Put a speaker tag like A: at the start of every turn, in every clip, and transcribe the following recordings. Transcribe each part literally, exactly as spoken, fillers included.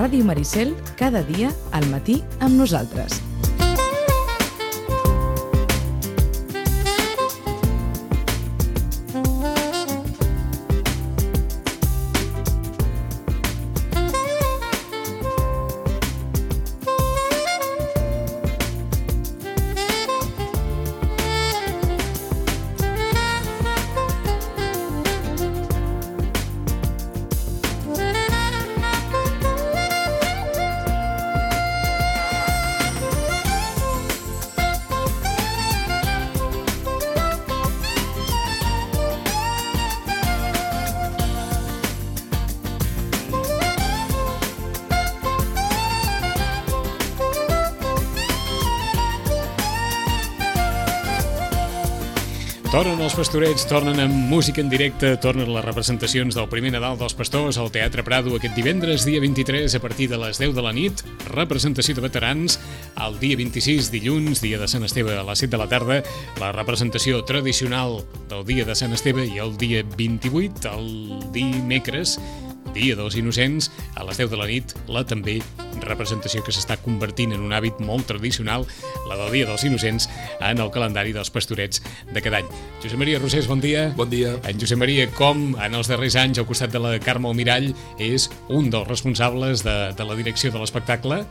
A: Ràdio Maricel, cada dia al matí amb nosaltres.
B: Tornen els Pastorets, tornen amb música en directe, tornen les representacions del primer Nadal dels Pastors al Teatre Prado aquest divendres, dia vint-i-tres, a partir de les deu de la nit, representació de veterans, el dia vint-i-sis, dilluns, dia de Sant Esteve a les set de la tarda, la representació tradicional del dia de Sant Esteve i el dia vint-i-vuit, el dimecres, dia dels Innocents, a les deu de la nit, la també representació que s'està convertint en un hàbit molt tradicional, la del dia dels Innocents, en el calendari dels Pastorets de cada any. Josep Maria Rosés, bon dia.
C: Bon dia.
B: En Josep Maria, com en els darrers anys, al costat de la Carme Almirall, és un dels responsables de, de la direcció de l'espectacle.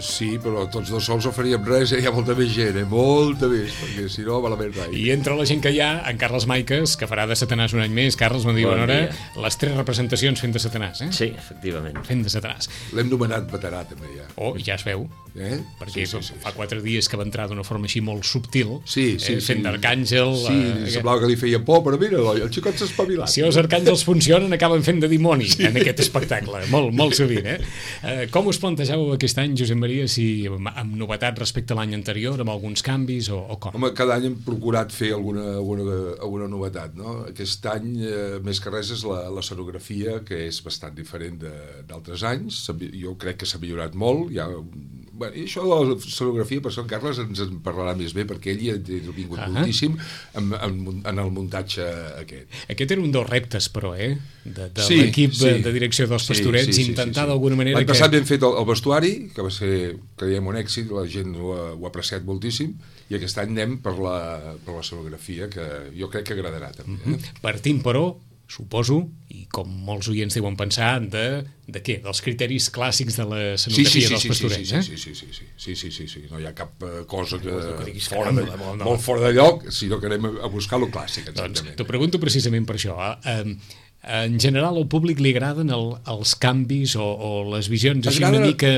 C: Sí, però tots dos sols no faríem res, eh? Hi ha molta més gent, eh? Molta més, perquè si no, malament rai.
B: I entre la gent que hi ha, en Carles Maiques, que farà de Satanàs un any més. Carles, bon dia,
D: bon
B: bona hora.
D: dia.
B: Les tres representacions fent de Satanàs, eh?
D: Sí, efectivament.
B: Fent de Satanàs.
C: L'hem nomenat veterà, també, ja.
B: Oh, ja es veu.
C: Eh?
B: Perquè
C: sí, sí, sí,
B: fa
C: sí.
B: quatre dies que va entrar d'una forma així molt subtil,
C: Sí, sí,
B: eh, fent
C: sí.
B: d'arcàngel.
C: Sí,
B: eh,
C: semblava que li feia por, però mira, el xicot s'ha espavilat.
B: Si els arcàngels funcionen, acaben fent de dimoni sí. en aquest espectacle, molt, molt sovint. Eh? Eh, com us plantejàveu aquest any, Josep Maria, si amb, amb novetat respecte a l'any anterior, amb alguns canvis o, o com?
C: Home, cada any hem procurat fer alguna, alguna, alguna novetat, no? Aquest any, eh, més que res, és la, la escenografia, que és bastant diferent d'altres anys. Jo crec que s'ha millorat molt. Hi ha, bueno, i això de la escenografia, per això en Carles ens en parlarà més bé, perquè ell hi ha vingut uh -huh. moltíssim en, en, en el muntatge aquest.
B: Aquest era un dels reptes, però, eh? De, de
C: sí,
B: l'equip
C: sí.
B: de direcció dels Pastorets, sí, sí, sí, intentar sí, sí. d'alguna manera...
C: L'any
B: que...
C: passat hem fet el, el vestuari, que va ser, creiem, un èxit, la gent ho ha, ho ha apreciat moltíssim, i aquest any anem per la, per la escenografia, que jo crec que agradarà també. Eh?
B: Mm-hmm. Partint, però, suposo, i com molts oients deuen pensar, de, de què? Dels criteris clàssics de l'escenografia
C: sí, sí, sí,
B: dels
C: sí,
B: Pastorets,
C: sí,
B: eh?
C: sí, sí, sí, sí, sí, sí, sí, sí, no hi ha cap uh, cosa que,
B: que
C: fora de,
B: molt, no.
C: molt fora de lloc, sinó que anem a, a buscar lo clàssic, exactament.
B: Doncs t'ho pregunto precisament per això. Eh? En general, al públic li agraden el, els canvis o, o les visions així
C: agrada...
B: una mica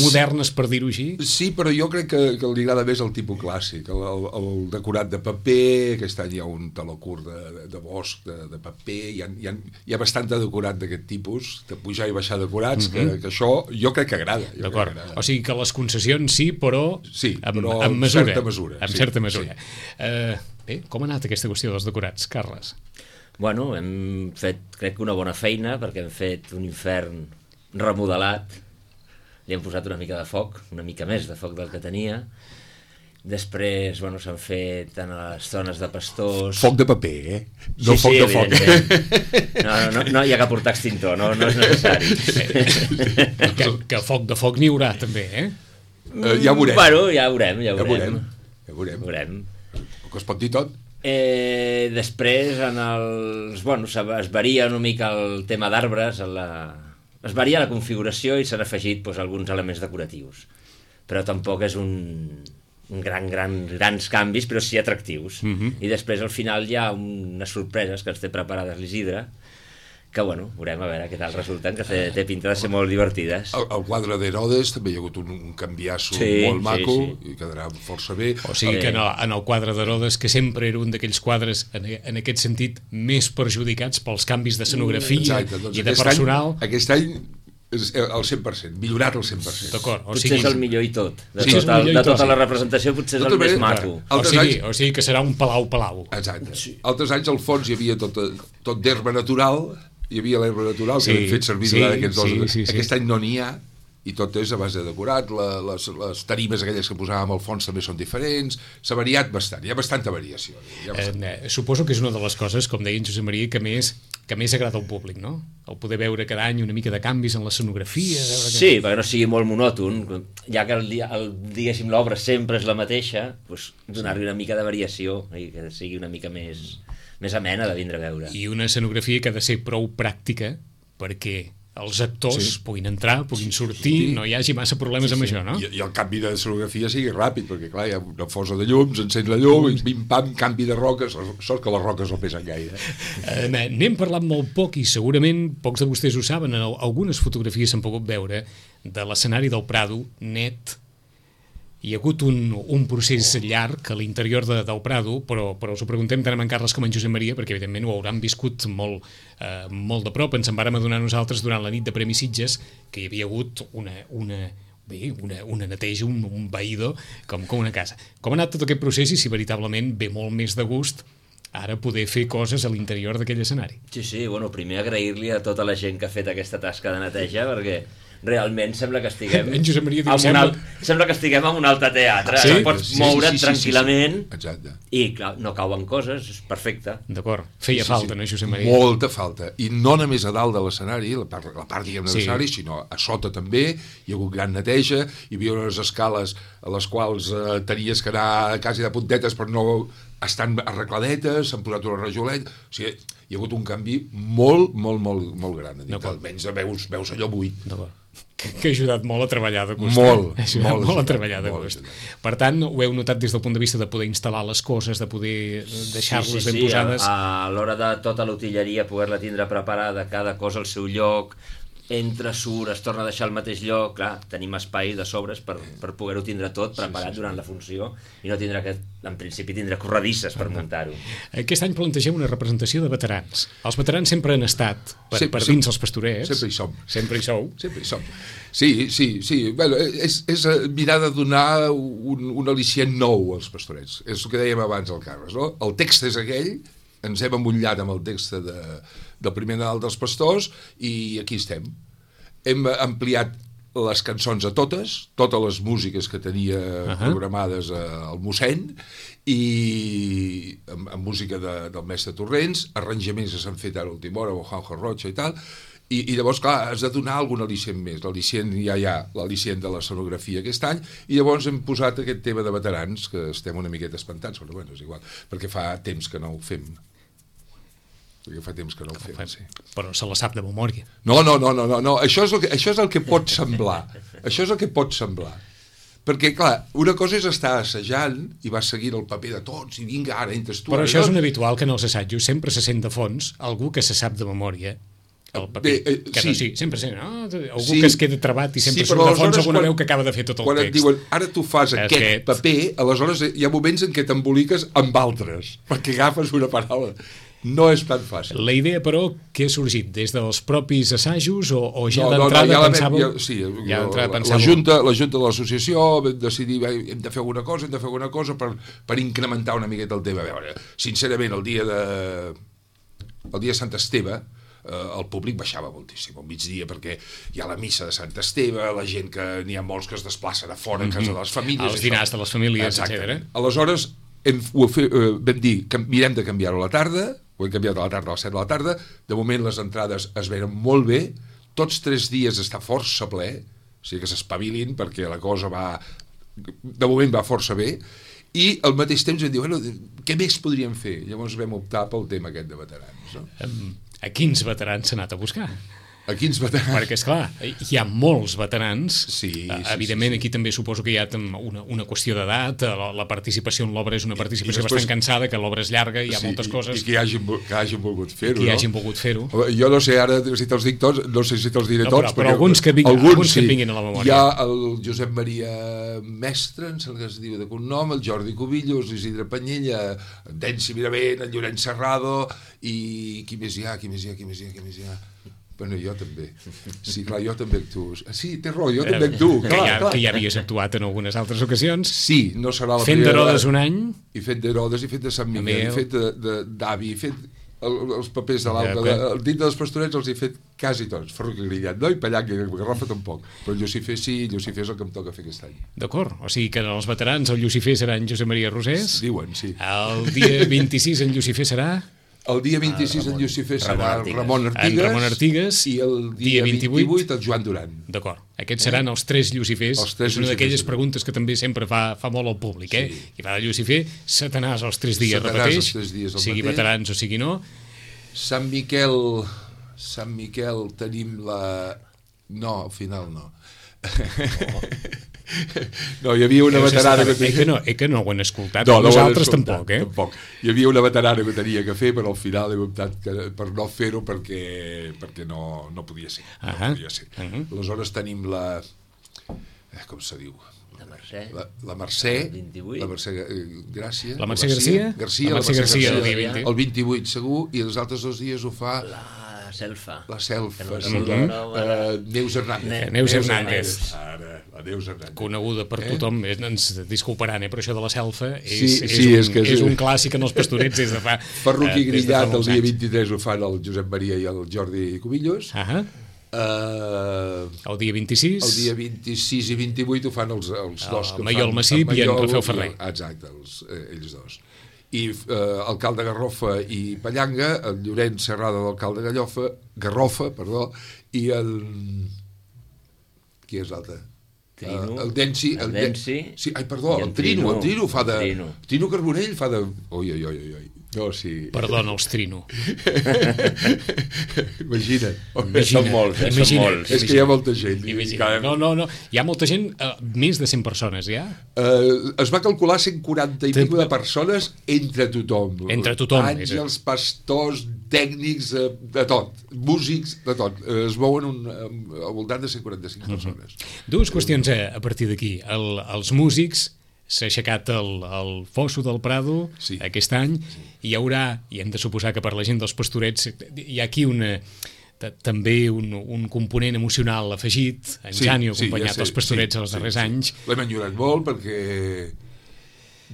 B: modernes, per dir-ho així?
C: Sí, però jo crec que, que li agrada més el tipus clàssic, el, el, el decorat de paper. Aquest any hi ha un taló curt de, de bosc, de, de paper, hi ha, hi, ha, hi ha bastant de decorat d'aquest tipus, de pujar i baixar decorats, mm-hmm. que, que això jo crec que agrada.
B: D'acord, o sigui que les concessions sí, però,
C: sí,
B: amb,
C: però
B: amb mesura.
C: certa mesura.
B: Amb
C: sí,
B: certa mesura.
C: Sí.
B: Uh, bé, com ha anat aquesta qüestió dels decorats, Carles?
D: Bueno, hem fet, crec que una bona feina, perquè hem fet un infern remodelat, li hem posat una mica de foc, una mica més de foc del que tenia. Després, bueno, s'han fet en les zones de pastors...
C: Foc de paper, eh? No
D: sí,
C: foc
D: sí,
C: de foc.
D: No, no, no, no hi ha que portar extintor, no, no és necessari.
B: que, que foc de foc n'hi haurà, també, eh?
C: Uh, ja ho veurem.
D: Bueno, ja ho veurem, ja ho
C: Ja ho
D: veurem.
C: Ja ho veurem.
D: Ho veurem.
C: Que es pot dir tot.
D: Eh, després, en els, bueno, es varia una mica el tema d'arbres, la... es varia la configuració i s'han afegit doncs, alguns elements decoratius. Però tampoc és un, un gran, gran, grans canvis, però sí atractius.
B: Mm-hmm.
D: I després, al final, hi ha unes sorpreses que ens té preparades l'Isidre, que, bueno, veurem a veure què tal resulten, que té, té pinta de ser molt divertides.
C: El, el quadre d'Herodes també hi ha hagut un, un canviasso
D: sí,
C: molt maco,
D: sí, sí.
C: i quedarà força bé.
B: O sigui que en el, en el quadre d'Herodes, que sempre era un d'aquells quadres, en, en aquest sentit, més perjudicats pels canvis d'escenografia
C: doncs
B: i de personal...
C: Any, aquest any és el cent per cent, millorat el cent per cent.
B: D'acord.
D: Potser sigui... és el millor i tot. De,
C: sí,
D: tot el, de tota la representació potser és el més maco.
B: O sigui, o sigui que serà un palau-palau.
C: Exacte. Sí. Altres anys al fons hi havia tot, tot d'herba natural, hi havia l'herba natural que sí, hem fet servir sí, durant aquests dos. Sí, sí, aquest sí. any no n'hi ha, i tot és a base de decorat. La, les, les tarimes aquelles que posàvem al fons també són diferents. S'ha variat bastant, hi ha bastanta variació. Hi ha bastant.
B: Eh, suposo que és una de les coses, com deia en Josep Maria, que més que més agrada al públic, no? El poder veure cada any una mica de canvis en l'escenografia. Veure que...
D: Sí, perquè no sigui molt monòton, ja que el, el, diguéssim l'obra sempre és la mateixa, doncs donar-li una mica de variació i que sigui una mica més, més amena de vindre a veure.
B: I una escenografia que ha de ser prou pràctica perquè els actors sí. puguin entrar, puguin sortir, sí. no hi hagi massa problemes sí, sí. amb això, no?
C: I, I el canvi de escenografia sigui ràpid, perquè clar, hi ha una fosa de llums, encens la llum, i pim-pam, canvi de roques, sort que les roques no pesen gaire.
B: Eh, N'hem parlat molt poc i segurament pocs de vostès ho saben, en algunes fotografies s'han pogut veure de l'escenari del Prado, net. Hi ha hagut un, un procés llarg a l'interior de, del Prado, però, però us ho preguntem tant en Carles com en Josep Maria, perquè evidentment ho hauran viscut molt, eh, molt de prop. Ens en vàrem adonar nosaltres durant la nit de Premi Sitges que hi havia hagut una, una, bé, una, una neteja, un, un veïdor, com, com una casa. Com ha anat tot aquest procés i si veritablement ve molt més de gust ara poder fer coses a l'interior d'aquell escenari?
D: Sí, sí, bueno, primer agrair-li a tota la gent que ha fet aquesta tasca de neteja, perquè realment sembla que estiguem
B: en Josep Maria diu,
D: en
B: sembla...
D: Alt, sembla que estiguem en un altre teatre,
C: sí?
D: pots
C: sí,
D: moure't
C: sí, sí,
D: tranquil·lament
C: sí, sí. Exacte.
D: I clar, no cauen coses, és perfecte.
B: D'acord, feia sí, sí, falta,
C: sí.
B: no, Josep Maria?
C: Molta falta, i no només a dalt de l'escenari, la part, la part diguem de l'escenari, sí. sinó a sota també, hi ha hagut gran neteja, hi havia unes escales a les quals eh, tenies que anar quasi de puntetes per no estan arregladetes, s'han posat una rajolet, o sigui, hi ha hagut un canvi molt, molt, molt, molt gran. Almenys veus, veus allò buit.
B: D'acord. Que, que ha ajudat molt a treballar de gust.
C: Molt,
B: ha ajudat
C: molt,
B: molt a treballar de
C: molt
B: gust.
C: ajudat.
B: Per tant, ho heu notat des del punt de vista de poder instal·lar les coses, de poder deixar-les
D: sí, sí,
B: ben
D: sí,
B: posades.
D: A, a l'hora de tota l'utilleria poder-la tindre preparada, cada cosa al seu lloc, entra, surt, es torna a deixar al mateix lloc, clar, tenim espai de sobres per, per poder-ho tindre tot preparat sí, sí. durant la funció i no tindre que, en principi, tindre corredisses per muntar-ho.
B: Aquest any plantegem una representació de veterans. Els veterans sempre han estat per,
C: sí,
B: per
C: sí,
B: dins els pastorets.
C: Sempre hi som.
B: Sempre hi sou.
C: Sempre hi som. Sí, sí, sí. Bueno, és, és mirar de donar un, un al·licient nou als pastorets. És el que dèiem abans al Carles, no? El text és aquell, ens hem emmotllat amb el text de, del primer Nadal dels Pastors i aquí estem. Hem ampliat les cançons a totes, totes les músiques que tenia uh-huh. programades al mossèn i amb, amb música de, del mestre Torrents, arranjaments que s'han fet ara a última hora amb Juanjo Rocha i tal, i, i llavors, clar, has de donar algun al·licient més. L'al·licient ja hi ha, l'al·licient de l'escenografia aquest any, i llavors hem posat aquest tema de veterans, que estem una miqueta espantats, però bueno, és igual, perquè fa temps que no ho fem. Perquè fa temps que no ho fem, sí.
B: Però se la sap de memòria.
C: No, no, no, no, no, no. Això és el que, això és el que pot semblar. Això és el que pot semblar. Perquè, clar, una cosa és estar assajant i vas seguint el paper de tots i vinga, ara entres tu.
B: Però
C: ara,
B: això
C: no?
B: és un habitual que en els assajos sempre se sent de fons algú que se sap de memòria el paper. De, eh, que sí. No, sí, sempre sent, no? Algú sí. que es queda trebat i sempre sí, surt de fons alguna veu que acaba de fer tot el
C: quan
B: text.
C: Quan et diuen, ara tu fas aquest, aquest paper, aleshores hi ha moments en què t'emboliques amb altres, perquè agafes una paraula. No és tan fàcil.
B: La idea, però, que ha sorgit des dels propis assajos o, o ja
C: no,
B: d'entrada
C: no, no, ja
B: pensàveu...
C: Ja, sí,
B: ja
C: la,
B: pensàveu...
C: la, junta, la Junta de l'Associació vam decidir, hem de fer alguna cosa, hem de fer alguna cosa per, per incrementar una miqueta el tema. A veure, sincerament, el dia de... el dia de Sant Esteve, eh, el públic baixava moltíssim al migdia perquè hi ha la missa de Sant Esteve, la gent que n'hi ha molts que es desplacen a fora, a casa de les famílies...
B: Els dinars de les famílies, etcètera.
C: Aleshores, hem, ho fe, eh, vam dir que mirem de canviar-ho a la tarda, ho hem canviat a la tarda a les set de la tarda, de moment les entrades es venen molt bé, tots tres dies està força ple, o sigui que s'espavilin perquè la cosa va, de moment va força bé, i al mateix temps vam dir, bueno, què més podríem fer? Llavors vam optar pel tema aquest de veterans. No?
B: A quins veterans s'ha anat a buscar?
C: A quins veterans?
B: Perquè, esclar, hi ha molts veterans.
C: Sí, sí,
B: evidentment,
C: sí, sí.
B: Aquí també suposo que hi ha una, una qüestió d'edat, la, la participació en l'obra és una participació
C: I, i després,
B: bastant cansada, que l'obra és llarga, hi ha
C: sí,
B: moltes coses...
C: I que hagin, que hagin volgut fer-ho,
B: no? Que
C: hagin
B: hagin volgut fer-ho.
C: Jo no sé, ara, si te'ls dic tots, no sé si te'ls diré
B: no,
C: tots...
B: Però, però alguns, que vinguin, alguns, alguns sí. que vinguin a la memòria.
C: Hi ha el Josep Maria Mestre, em sembla que es diu de cognom, el Jordi Cubillos, l'Isidre Panyella, en Densi Miravent, el Llorenç Serrado, i qui més hi ha, qui més hi ha, qui més hi ha, qui més hi ha... Bueno, jo també. Sí, clar, jo també actuo. Sí, té raó, jo també actuo.
B: Que,
C: clar,
B: ja,
C: clar.
B: que ja havies actuat en algunes altres ocasions.
C: Sí, no serà la
B: fent
C: primera...
B: Fent d'Herodes un any.
C: I fet d'Herodes, i fet de Sant Miquel, i fet d'avi, i fet el, els papers de l'Alba. Ja, el dit dels Pastorets els he fet quasi tots. Ferrocarrilat, no? I Pallanca, i Garrofa tampoc. Però el Llucifer sí, el Llucifer és el que em toca fer aquest any.
B: D'acord, o sigui que els veterans el Llucifer serà en Josep Maria Rosés.
C: Diuen, sí.
B: El dia vint-i-sis en Llucifer serà...
C: El dia vint-i-sis en Llucifer serà
D: Ramon
C: Ramon Artigas,
B: En Ramon Artigas,
C: i el dia, dia vint-i-vuit, vint-i-vuit el Joan Duran.
B: D'acord. Aquests seran els tres Llucifers.
C: Els tres
B: és una d'aquelles
C: Llucifers.
B: preguntes que també sempre fa, fa molt al públic, eh?
C: Sí.
B: I va de Lucifer, Satanàs els tres dies
C: Satanàs
B: repeteix,
C: els tres dies el
B: sigui
C: mateix.
B: veterans o sigui no.
C: Sant Miquel, Sant Miquel tenim la... No, al final no. Oh. No, hi havia una veterana que
B: tenia... Eh que no, eh que no ho han escoltat,
C: no, no
B: nosaltres
C: escoltat,
B: tampoc, eh?
C: Tampoc. Hi havia una veterana que tenia que fer, però al final he optat que, per no fer-ho perquè, perquè no, no podia ser. Uh -huh. No podia ser. Uh -huh. Aleshores tenim la... Eh, com se diu?
D: La Mercè.
C: La, la Mercè.
D: El vint-i-vuit.
C: La Mercè eh, Gràcia.
B: La Mercè Garcia?
C: Garcia,
B: la Mercè
C: la Mercè
B: Garcia,
C: Garcia,
B: el dia vint.
C: el vint-i-vuit segur, i els altres dos dies ho fa...
D: La Selfa.
C: La Selfa,
D: no
C: sí.
D: no,
C: Uh,
D: no,
C: Neus Hernández.
B: Ne Neus Hernández.
C: Ara, la Neus Hernández.
B: Coneguda per eh? tothom, ens disculparan, eh? Però això de la selfa és,
C: sí,
B: és,
C: sí,
B: un,
C: és, que és,
B: és un clàssic en els pastorets des de fa...
C: Ferruc i
B: eh,
C: Grillat, el dia vint-i-tres ho fan el Josep Maria i el Jordi Cubillos.
B: Uh -huh.
C: Uh,
B: el dia vint-i-sis
C: el dia vint-i-sis i vint-i-vuit ho fan els, els dos
B: el
C: que
B: Maiol
C: fan
B: Massip i en Rafeu Ferrer.
C: Exacte, els, eh, ells dos. I eh, el Cal de Garrofa i Pallanga, el Llorenç Serrada del Cal de Gallofa, Garrofa, perdó, i el... qui és l'altre?
D: Trino,
C: uh, el Densi,
D: el Densi,
C: sí, ai, perdó, el, el Trino, Trino, el Trino fa de... Trino. Trino Carbonell fa de... Oi, oi, oi, oi. No, sí.
B: Perdona, els Trino.
C: Imagina.
D: Imagina. Són molts, eh?
B: Imagina.
D: Són molts.
C: És que hi ha molta gent.
B: Imagina. No, no, no. Hi ha molta gent, uh, més de cent persones, ja?
C: Uh, es va calcular cent quaranta i pico de persones entre tothom.
B: Entre tothom.
C: Àngels, pastors, tècnics, uh, de tot. Músics, de tot. Uh, es mouen un, uh, al voltant de cent quaranta-cinc uh -huh. persones.
B: Dues qüestions a, a partir d'aquí. El, els músics... S'ha aixecat el, el Fosso del Prado sí. aquest any, sí. i hi haurà, i hem de suposar que per la gent dels Pastorets hi ha aquí una, també un, un component emocional afegit, en sí, Jani ha acompanyat sí, ja els Pastorets sí, els darrers sí, anys.
C: Sí. L'hem enyorat molt perquè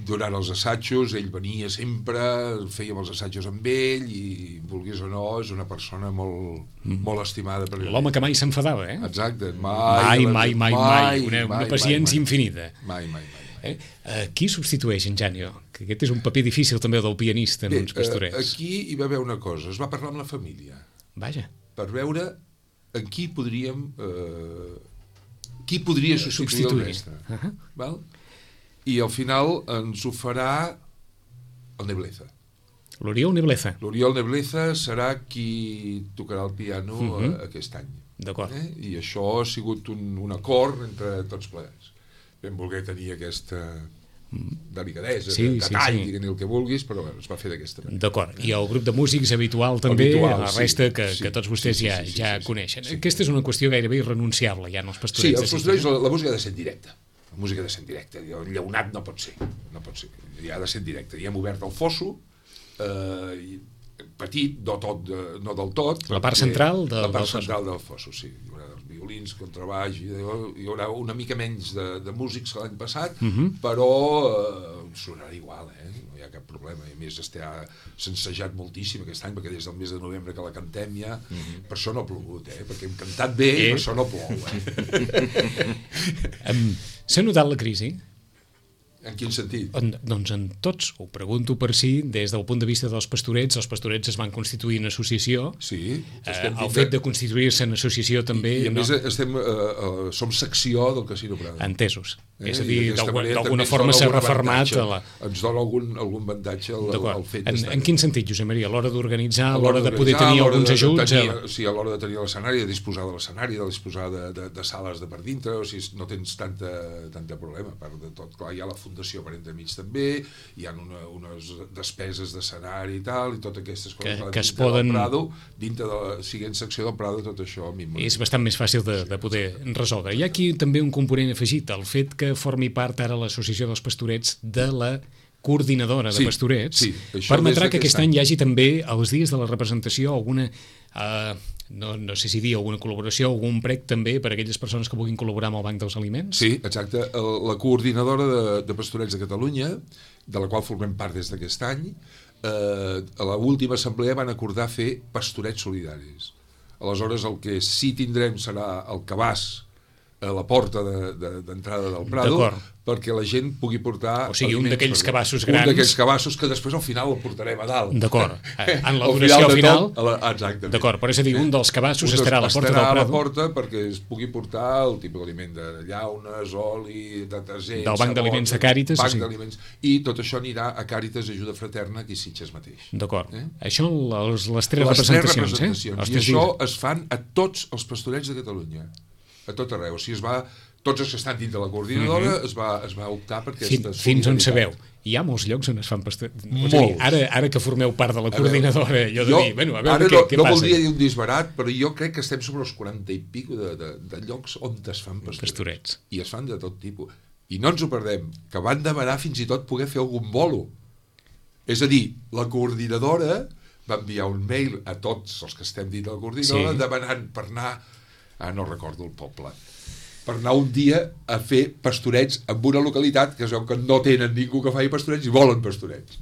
C: durant els assajos ell venia sempre, fèiem els assajos amb ell i, vulguis o no, és una persona molt, mm. molt estimada per ell.
B: L'home que mai s'enfadava, eh?
C: Exacte.
B: Mai, mai, mai, mai, mai. Una, mai, una paciència mai, mai. infinita.
C: Mai, mai, mai.
B: Eh? Uh, qui substitueix en Janio? Que aquest és un paper difícil també del pianista en
C: Bé,
B: uns Pastorets.
C: Uh, aquí hi va haver una cosa, es va parlar amb la família.
B: Vaja.
C: Per veure en qui podríem... Uh, qui podria substituir, substituir. el mestre. Uh -huh. Val? I al final ens ho farà el Nebleza.
B: L'Oriol Nebleza.
C: L'Oriol Nebleza serà qui tocarà el piano uh -huh. uh, aquest any.
B: D'acord.
C: Eh? I això ha sigut un, un acord entre tots plegats. Vam voler tenir aquesta delicadesa, sí, detall, sí, sí. diguin el que vulguis, però bueno, es va fer d'aquesta manera.
B: D'acord, i el grup de músics habitual també,
C: habitual,
B: la resta
C: sí,
B: que,
C: sí,
B: que tots vostès
C: sí, sí,
B: ja,
C: sí, sí,
B: ja
C: sí, sí,
B: coneixen.
C: Sí.
B: Aquesta és una qüestió gairebé irrenunciable, ja en els Pastorets.
C: Sí, els Pastorets, la, la música ha de ser en directe. La música ha de ser en directe. El llaunat no pot ser. No pot ser. Ja ha de ser en directe. Ja hem obert el Fosso, eh, petit, no, tot, no del tot.
B: La part central del,
C: la part
B: del
C: central del Fosso, sí. Hi haurà els violins, contrabaix, hi haurà una mica menys de, de músics que l'any passat, uh -huh. però eh, sonarà igual, eh? No hi ha cap problema. I a més està s'ensejat moltíssim aquest any, perquè des del mes de novembre que la cantem ja, uh -huh. per això no ha plogut, eh? Perquè hem cantat bé eh? i per això no plou, eh?
B: um, S'ha notat la crisi?
C: En quin sentit?
B: En, doncs en tots, ho pregunto per si, des del punt de vista dels Pastorets, els Pastorets es van constituir en associació.
C: Sí.
B: Eh, el fet de constituir-se en associació també...
C: I, i a
B: no?
C: més estem, uh, uh, som secció del Casino Prado.
B: Entesos.
C: Eh?
B: És a dir, d'alguna forma s'ha refermat... A la...
C: Ens dona algun, algun avantatge el, el fet
B: en,
C: d'estar.
B: en quin sentit, Josep Maria? A l'hora d'organitzar, a l'hora de poder tenir alguns
C: de,
B: ajuts?
C: De tenir,
B: a...
C: Sí, a l'hora de tenir l'escenari, de disposar de l'escenari, de disposar de, de, de sales de per dintre, o sigui, no tens tanta, tanta problema. A part de tot, clar, hi ha la fundació per entremig també, hi ha una, unes despeses d'escenari i tal, i totes aquestes coses
B: que,
C: que
B: que es poden...
C: del Prado, dintre de la siguent secció del Prado, tot això a mi
B: és bastant més fàcil de, de poder resoldre. Hi ha aquí també un component afegit, el fet que formi part ara l'Associació dels Pastorets de la coordinadora de sí, Pastorets,
C: sí,
B: permetrà que aquest any. any hi hagi també, als dies de la representació, alguna... Uh, no, no sé si dir alguna col·laboració, algun prec també per a aquelles persones que vulguin col·laborar amb el Banc dels Aliments?
C: Sí, exacte. El, la coordinadora de, de Pastorets de Catalunya, de la qual formem part des d'aquest any, eh, a l'última assemblea van acordar fer pastorets solidaris. Aleshores, el que sí tindrem serà el cabàs a la porta d'entrada de, de, del Prado, perquè la gent pugui portar...
B: O sigui, un d'aquells cabassos grans...
C: Un d'aquells cabassos que després al final el portarem a dalt.
B: D'acord. En la duració final...
C: final la, exactament.
B: D'acord, però és a dir, un dels cabassos
C: un dels,
B: estarà a la porta del Prado.
C: Estarà a la porta perquè es pugui portar el tipus d'aliment de llaunes, oli, detergents...
B: Del banc d'aliments de Càritas.
C: Banc d'aliments. I tot això anirà a Càritas Ajuda Fraterna aquí a Sitges mateix.
B: D'acord.
C: Eh?
B: Això, les, les tres
C: les
B: representacions,
C: tres representacions.
B: eh?
C: I això es fan a tots els pastorets de Catalunya. A tot arreu. O sigui, es va, tots els que estan dins de la coordinadora mm-hmm. es, va, es va optar per aquesta
B: Fin, fins on sabeu. Hi ha molts llocs on es fan pastorets.
C: Molts.
B: Ara, ara que formeu part de la coordinadora, allò de
C: jo,
B: dir, bueno, a veure
C: ara
B: què,
C: no,
B: què
C: no
B: passa.
C: No voldria dir un disbarat, però jo crec que estem sobre els quaranta i pico de, de, de llocs on es fan pastorets.
B: pastorets.
C: I es fan de tot tipus. I no ens ho perdem, que van demanar fins i tot poder fer algun bolo. És a dir, la coordinadora va enviar un mail a tots els que estem dins de la coordinadora sí. demanant per anar... Ah, no recordo el poble. Per anar un dia a fer pastorets en una localitat que es veu que no tenen ningú que faci pastorets i volen pastorets.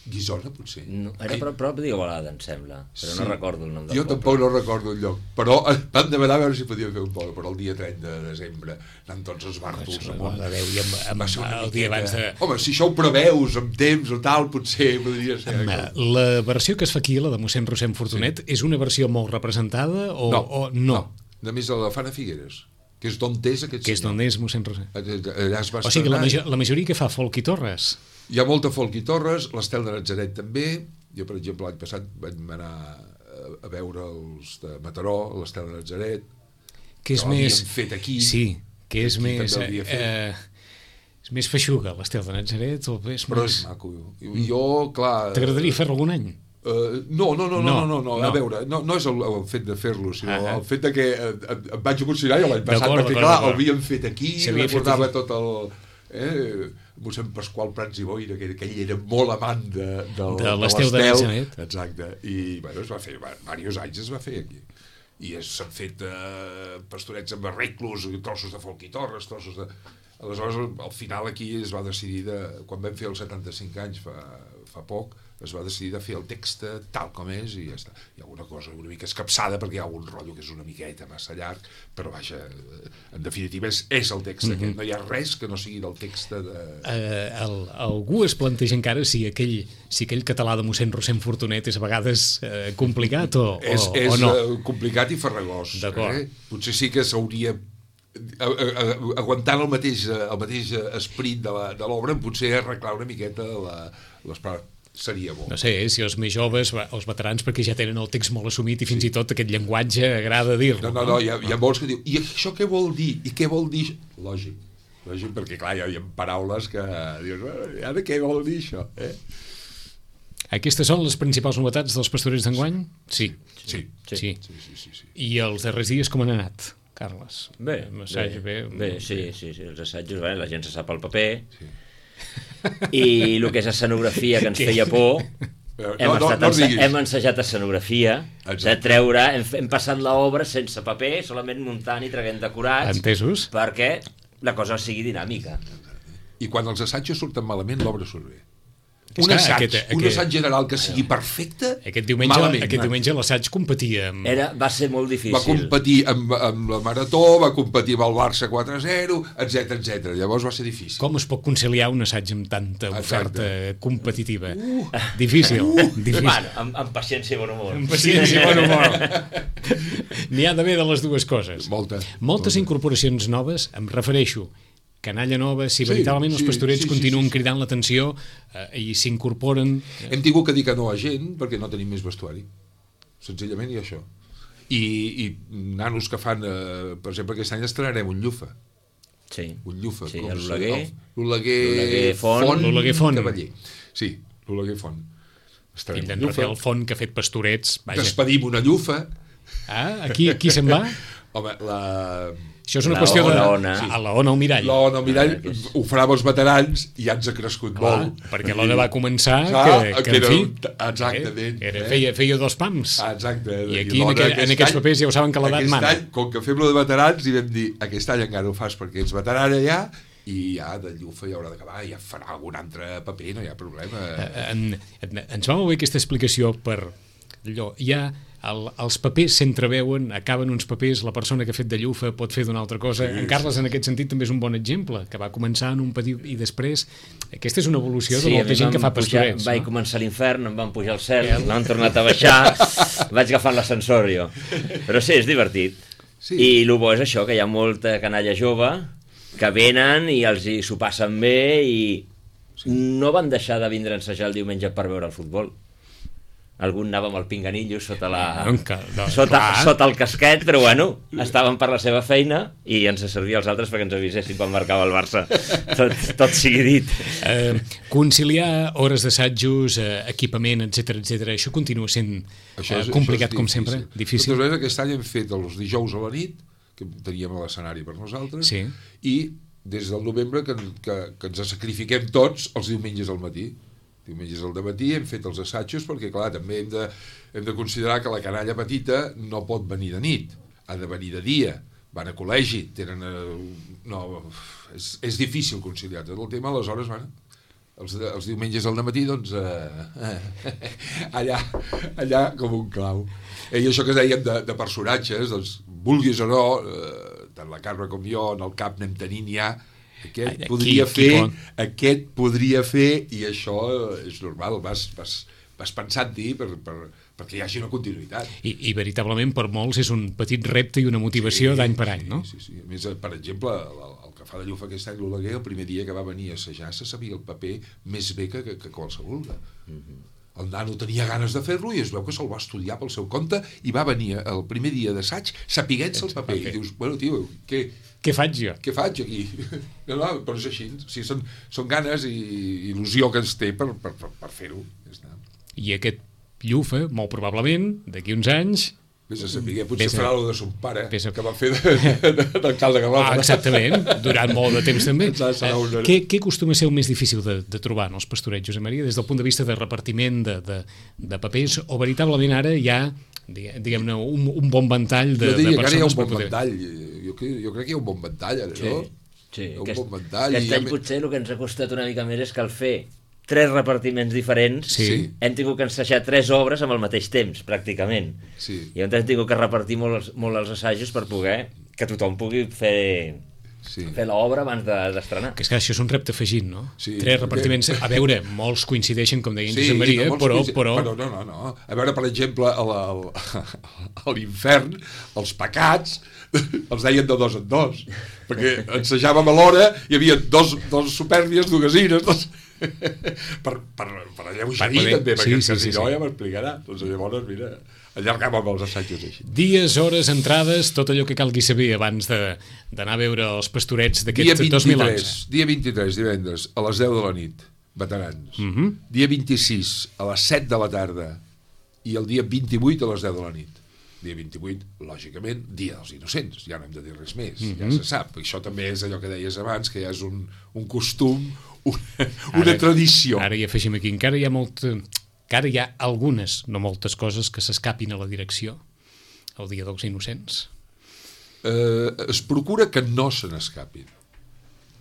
C: Guissona, potser.
D: No, era prop, prop d'Igualada, em sembla, però sí. no recordo el nom del
C: jo
D: poble.
C: Tampoc no recordo el lloc, però van demanar a veure si podíem fer un poble, però el dia trenta de desembre anant tots els bàrtols
B: amunt. I amb, amb, el dia abans de...
C: Home, si això ho preveus amb temps o tal, potser podria ser...
B: Amb, la versió que es fa aquí, la de mossèn Rossem Fortunet, sí. és una versió molt representada o
C: no?
B: O no?
C: no. De més, la fan a Figueres, que és d'on és aquest
B: que és
C: senyor.
B: d'on és mossèn Rossem.
C: Allà es va
B: o sigui, la, major, la majoria que fa folk i Torres.
C: Hi ha molta folk i Torres, l'Estel de Natzaret també. Jo, per exemple, l'any passat vam anar a veure els de Mataró, l'Estel de Natzaret,
B: que és
C: que
B: més...
C: fet aquí.
B: Sí, que és
C: aquí
B: més... Eh, és més feixuga, l'Estel de Natzaret, o és
C: però
B: més...
C: és maco. Jo, clar...
B: T'agradaria fer-lo algun any?
C: Uh, no, no, no, no, no, no, no, a veure, no, no és el, el fet de fer-lo, sinó ah, el fet de que eh, em vaig emocionar jo l'any passat, perquè clar, el havíem fet aquí, recordava tot el... Eh, mossèn Pasqual Prats i Boira, que, que ell era molt amant de, de,
B: de l'Estel de Natzaret.
C: Exacte, i bueno, es va fer, diversos anys es va fer aquí. I s'han fet eh, pastorets amb arreglos, trossos de folk i Torres, trossos de... Aleshores, al final aquí es va decidir, de, quan vam fer els setanta-cinc anys, fa, fa poc, es va decidir de fer el text tal com és i ja està. Hi ha alguna cosa una mica escapçada perquè hi ha algun rotllo que és una miqueta massa llarg, però vaja, en definitiva és, és el text mm-hmm. aquest. No hi ha res que no sigui del text de...
B: Uh, el, algú es planteja encara si aquell, si aquell català de mossèn Rossem Fortunet és a vegades uh, complicat o,
C: és,
B: o,
C: és
B: o no?
C: És complicat i farragós. Eh? Potser sí que s'hauria... aguantant el mateix, el mateix esperit de l'obra, potser arreglar una miqueta la, les parts. Seria bo.
B: No sé, si els més joves, els veterans, perquè ja tenen el text molt assumit i fins sí. i tot aquest llenguatge agrada dir-lo.
C: No, no, no, hi ha, hi ha molts que diuen, i això què vol dir? I què vol dir? Lògic, lògic, perquè clar, hi ha paraules que dius, i ara què vol dir això? Eh?
B: Aquestes són les principals novetats dels pastorets d'enguany? Sí.
C: Sí.
B: Sí.
C: Sí. Sí, sí, sí, sí.
B: I els darrers dies com han anat, Carles?
D: Bé,
B: Assaig,
D: bé,
B: bé,
D: bé, sí, sí, sí, els assajos, bé, la gent se sap el paper, sí. I el que és escenografia, que ens feia por,
C: no,
D: hem,
C: no,
D: estat
C: no
D: ense hem ensajat escenografia, exacte. De treure, hem, hem passat l'obra sense paper, solament muntant i traient decorats.
B: Entesos?
D: Perquè la cosa sigui dinàmica.
C: I quan els assajos surten malament, l'obra surt bé.
B: Un
C: un assaig,
B: aquest,
C: un
B: aquest,
C: assaig general que sigui perfecte,
B: aquest diumenge,
C: malament.
B: Aquest diumenge l'assaig competia amb...
D: Era, va ser molt difícil.
C: Va competir amb, amb la Marató, va competir amb el Barça quatre a zero, etcètera, etcètera. Llavors va ser difícil.
B: Com es pot conciliar un assaig amb tanta oferta
C: Exacte.
B: competitiva?
C: Uh,
B: difícil.
C: Uh,
B: difícil.
D: Bueno, amb, amb paciència i bon humor.
B: Amb paciència i bon humor. N'hi ha d'haver de les dues coses.
C: Molta.
B: Moltes
C: molta.
B: incorporacions noves, em refereixo canalla nova, si sí, veritablement sí, els pastorets sí, sí, continuen sí, sí. cridant l'atenció eh, i s'incorporen...
C: Eh. Hem tingut que dir que no a gent perquè no tenim més vestuari. Senzillament i això. I, i nanos que fan, eh, per exemple, aquest any estrenarem un llufa.
D: Sí.
C: Un llufa.
D: Sí, l'Oleguer.
C: L'Oleguer
D: Font.
C: Font.
B: L'Oleguer Font.
C: Cavaller. Sí, l'Oleguer Font.
B: Fill d'en Rafael Font, que ha fet pastorets. Vaja.
C: Despedim una llufa.
B: Ah, aquí, aquí se'n va?
C: Home, la...
B: Això és una
D: la
B: qüestió
D: ona,
B: de...
D: ona.
B: Sí. A la ona, al mirall.
C: La ona, al mirall, ah, és... ho farà amb els veterans i ja ens ha crescut
B: Clar,
C: molt.
B: perquè l'ona va començar
C: ah,
B: que, que,
C: que
B: en fi...
C: Era, exactament.
B: Eh, era,
C: eh?
B: feia, feia dos pams.
C: Ah, exacte.
B: I aquí, I en, aquell, en aquests papers, ja ho saben que l'edat mana.
C: Aquest any, com que fem-lo de veterans, i vam dir, aquest any encara ho fas perquè ets veterana ja, i ja de llufa ja haurà d'acabar, ja farà algun altre paper, no hi ha problema.
B: En, en, ens va molt bé aquesta explicació per allò. Hi ha el, els papers s'entreveuen, acaben uns papers, la persona que ha fet de llufa pot fer d'una altra cosa. Sí, en Carles, sí. En aquest sentit, també és un bon exemple, que va començar en un petit i després... Aquesta és una evolució sí, de molta gent que fa pastorets.
D: Vaig no? començar a l'infern, em van pujar al cel, sí. m'han tornat a baixar, vaig agafant l'ascensor jo. Però sí, és divertit. Sí. I el bo és això, que hi ha molta canalla jove que venen i els hi s'ho passen bé i sí. no van deixar de vindre a ensejar el diumenge per veure el futbol. Algun anava amb el pinganillo sota, la,
B: no, no,
D: sota, sota el casquet, però bueno, estaven per la seva feina i ens servia als altres perquè ens avisessin quan marcava el Barça. Tot, tot sigui dit.
B: Eh, conciliar hores d'assajos, eh, equipament, etcètera, etcètera, això continua sent això és, eh, complicat, com sempre? Difícil?
C: Totes aquest any hem fet els dijous a la nit, que teníem a l'escenari per nosaltres,
B: sí.
C: i des del novembre que, que, que ens sacrifiquem tots els diumenges al matí. Diumenges al dematí hem fet els assajos perquè, clar, també hem de, hem de considerar que la canalla petita no pot venir de nit, ha de venir de dia, van a col·legi, tenen... No, és, és difícil conciliar tot el tema, aleshores, bueno, els, els diumenges al dematí, doncs, eh, eh, allà, allà com un clau. I això que dèiem de, de personatges, doncs, vulguis o no, eh, tant la Carme com jo, en el cap anem tenint ja, aquest aquí, podria fer, aquest podria fer, i això és normal, vas, vas, vas pensant-hi per, per, perquè hi hagi una continuïtat.
B: I, I veritablement per molts és un petit repte i una motivació sí, d'any per any, no?
C: Sí, sí, sí. A més, per exemple, el, el que fa de llufa aquest any, l'Oleguer, el primer dia que va venir a assajar se sabia el paper més bé que, que, que qualsevol. Mm-hmm. El nano tenia ganes de fer-lo i es veu que se'l va estudiar pel seu compte i va venir el primer dia d'assaig sapiguent-se el paper. I dius, bueno, tio, què...
B: Què faig jo?
C: Què faig aquí? No, no, però és així. O sigui, són, són ganes i il·lusió que ens té per, per, per, per fer-ho.
B: I aquest llufa, molt probablement, d'aquí uns anys...
C: Vés a saber, potser
B: Vés a...
C: farà lo de son pare,
B: a...
C: que va fer d'alcalde de Garraf.
B: Ah, exactament, durant molt de temps també.
C: Eh, una...
B: què, què acostuma a ser el més difícil de, de trobar en els pastorets, Josep Maria, des del punt de vista de repartiment de, de, de papers, o veritablement ara hi ha, diguem-ne, un, un bon ventall de,
C: de persones? Jo diria
B: que
C: ara hi ha un bon poder... ventall. Jo, jo crec que hi ha un bon ventall, ara,
D: sí,
C: no?
D: Sí,
C: un
D: aquest,
C: bon ventall.
D: aquest any potser el que ens ha costat una mica més és que al fer tres repartiments diferents
B: sí.
D: hem tingut que ensajar tres obres amb el mateix temps, pràcticament.
C: Sí.
D: I hem tingut que repartir molt els, molt els assajos per poder que tothom pugui fer, sí. fer l'obra abans d'estrenar.
B: Que és que això és un repte afegit, no?
C: Sí.
B: Tres repartiments. A veure, molts coincideixen, com deia en sí, Josep Maria, no, però, però...
C: però... No, no, no. A veure, per exemple, a l'infern, els pecats, els deien de dos en dos, perquè ensajàvem a l'hora, hi havia dos, dos supèrnies, dues ires, dos... per, per, per alleugerir també, perquè sí, sí, si no sí, sí. ja m'explicarà. Doncs llavors, mira, allargàvem els assajos així.
B: Dies, hores, entrades, tot allò que calgui saber abans d'anar a veure els pastorets d'aquest dos mil onze.
C: Dia vint-i-tres, divendres, a les deu de la nit, veterans. Uh -huh. Dia vint-i-sis, a les set de la tarda, i el dia vint-i-vuit a les deu de la nit. Dia vint-i-vuit, lògicament, dia dels innocents, ja no hem de dir res més, uh -huh. ja se sap. Això també és allò que deies abans, que ja és un, un costum, una, una ara, tradició.
B: Ara hi afegim aquí, encara hi ha molt... Encara hi ha algunes, no moltes coses, que s'escapin a la direcció el dia dels innocents.
C: Eh, es procura que no se n'escapin.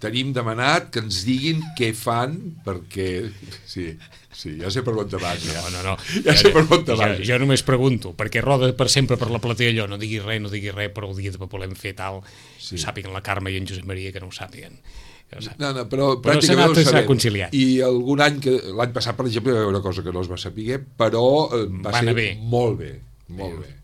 C: Tenim demanat que ens diguin què fan, perquè... Sí, sí, ja sé per on te vas. Ja,
B: no, no, no.
C: ja sé per on te vas.
B: Jo, jo només pregunto, perquè roda per sempre per la platea allò, no diguis res, no diguis res, però el dia de volem fer tal, sí. Ho sàpiguen la Carme i en Josep Maria, que no ho sàpiguen.
C: No, no, però,
B: però
C: pràcticament
B: s'ha conciliat.
C: I algun any, que l'any passat, per exemple, hi va haver una cosa que no es va saber, però eh, va
B: va
C: ser
B: bé.
C: molt bé, molt bé. bé.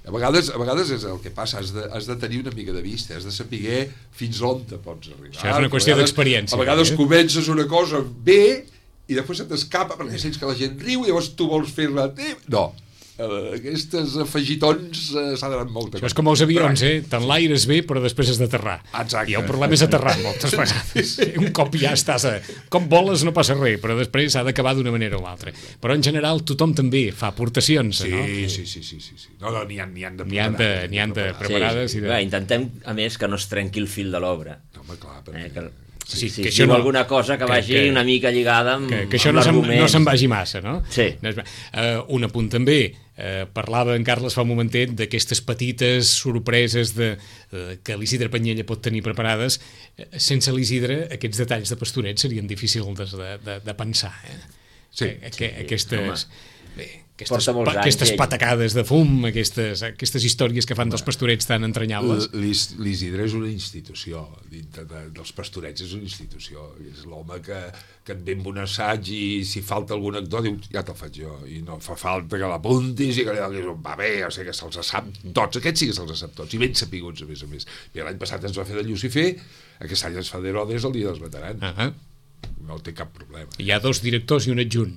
C: A vegades, a vegades és el que passa, has de, has de tenir una mica de vista, has de saber fins on te pots arribar.
B: Això és una qüestió d'experiència.
C: A vegades eh? comences una cosa bé i després se t'escapa perquè sents que la gent riu i llavors tu vols fer-la... No, Uh, aquestes afegitons uh, s'ha d'anar molt.
B: Això és com els avions, eh? Tant l'aire és bé, però després has d'aterrar.
C: Exacte.
B: I el problema és aterrar moltes vegades. Un cop ja estàs a... Com voles no passa res, però després s'ha d'acabar d'una manera o l'altra. Però en general tothom també fa aportacions,
C: sí,
B: no?
C: Sí, sí, sí, sí, sí. No, no, n'hi ha, n'hi ha de
B: preparades. N'hi ha de, n'hi ha de preparades.
D: Sí, sí.
B: I de...
D: Va, intentem, a més, que no es trenqui el fil de l'obra.
C: No, home, clar, perquè...
D: Eh, que...
B: Sí,
D: sí,
B: que
D: si diu no, alguna cosa que, que vagi que, una mica lligada amb,
B: que, que això
D: amb
B: no
D: l'argument.
B: No se'n vagi massa, no?
D: Sí.
B: Uh, un apunt també, uh, parlava en Carles fa un momentet d'aquestes petites sorpreses de, uh, que l'Isidre Panyella pot tenir preparades. Uh, sense l'Isidre, aquests detalls de Pastoret serien difícils de, de, de pensar. Eh?
C: Sí.
B: Que, que,
C: sí
B: aquestes... Bé,
D: porta molts anys.
B: Aquestes
D: ell.
B: patacades de fum, aquestes, aquestes històries que fan dels pastorets tan entranyables.
C: L'Isidre és una institució, dintre de, dels pastorets és una institució, és l'home que, que et ve amb un assaig i si falta algun anecdot diu, ja te'l faig jo, i no fa falta que l'apuntis i que li donis un paper, o sigui que se'ls sap tots, aquests sí que se'ls sap tots, i ben sapiguts a més a més. I l'any passat ens va fer de Llucifer, aquest any ens fa d'Herodes el dia dels veterans.
B: Uh -huh.
C: No té cap problema.
B: Hi ha dos directors i un adjunt,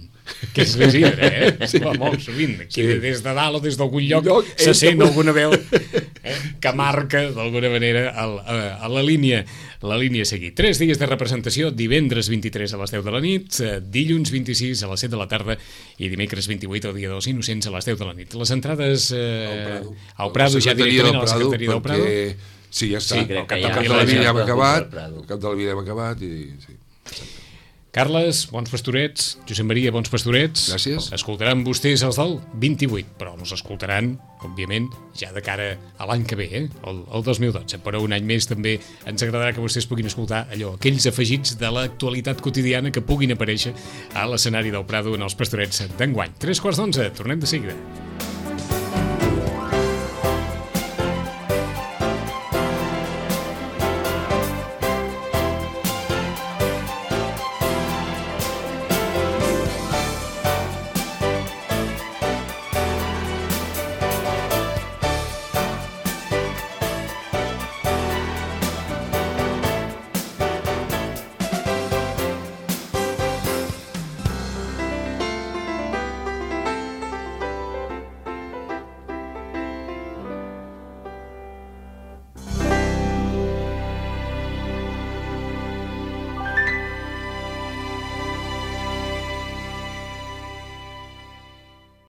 B: que és l'Isidre, eh? Sí. Va molt sovint, aquí sí. Des de dalt o des d'algun lloc, lloc se sent que... alguna veu eh? que marca d'alguna manera el, a, a la línia la línia a seguir. Tres dies de representació, divendres vint-i-tres a les deu de la nit, dilluns vint-i-sis a les set de la tarda i dimecres vint-i-vuit, el dia dels Innocents, a les deu de la nit. Les entrades eh, al Prado, ja directament a la secretaria del Prado.
C: Perquè... Sí, ja està.
D: Sí, crec que
C: el
D: ja,
C: cap de la vida hem acabat, el cap de la vida hem acabat i... Sí.
B: Carles, bons pastorets. Josep Maria, bons pastorets.
C: Gràcies.
B: Escoltaran vostès els del vint-i-vuit, però els escoltaran, òbviament, ja de cara a l'any que ve, eh? el, el dos mil dotze. Però un any més també ens agradarà que vostès puguin escoltar allò, aquells afegits de l'actualitat quotidiana que puguin aparèixer a l'escenari del Prado en els pastorets d'enguany. Tres quarts d'onze, tornem de seguida.